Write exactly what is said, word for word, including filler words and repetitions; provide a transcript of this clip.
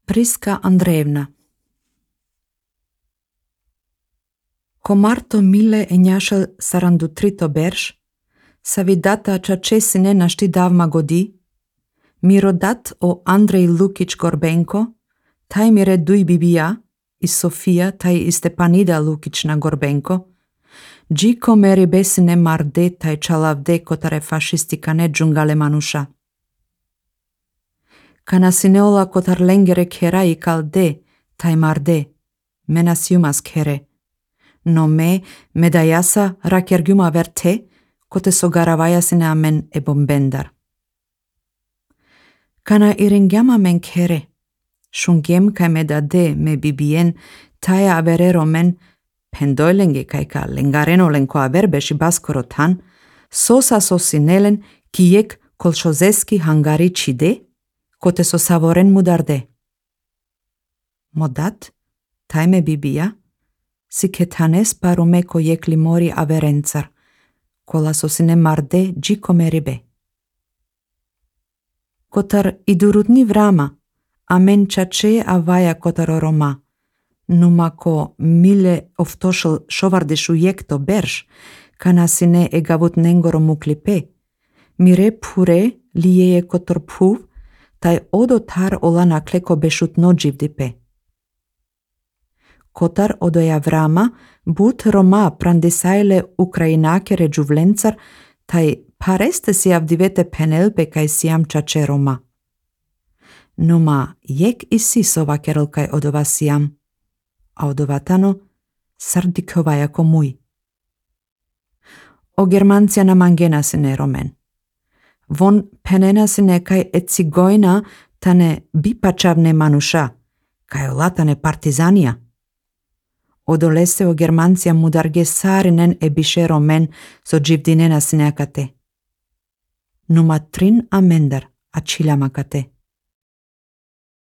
Priska Andreevna. Комарто миле εννιακόσια σαράντα τρία μπέρς, σαβιδάτα τσατσέσινε να ști davma godi, mirodat o Andrei Lukic Gorbenko, taj mire dui bibia, i Sofia taj i Stepanida Lukična Gorbenko, džiko meri besine marde taj čalavde kotare fašistika ne džungale manuša. Kana sineola kotar lengere kera i kalde, taj marde, menas jumas kere. No me, medajasa rakergjuma verte, kote sogaravaja sine amen e bombendar. Kana iringjama men kere, shungem kai medade me bibien, taja averero men, pendoilenge kai ka lengareno lenko averbeši baskoro tan, sosa sosinelen kijek kolšozeski hangari čide, kote so savoren mudarde. Modat, taj me bibia, si ketanes parume ko jekli mori averencar, kola sosine marde džiko meribe. Kotar idurutni vrama, amen čače avaja kotar roma, numa ko mile oftošel šovardešu jekto berš, kana sine egavut nengoro muklipe, mire pure lijeje kotor puv, taj odotar olana kleko bešut nođivdipe. Kotar odoja vrama, but roma prandesajle ukrajinakere džuvlencar, taj pareste si avdivete penelpe kaj siam čače roma. Numa jek i sisova kerelkaj odova siam, a odovatano sardikova jako muj. O germancija na mangena sine romen. Von penena sine kaj et cigojna tane bipačavne manuša, kaj olatane partizanija. Odolese o germancija mudarge sarinen e biše romen so dživdinena sine akate. Numa trin amendar a čilamakate.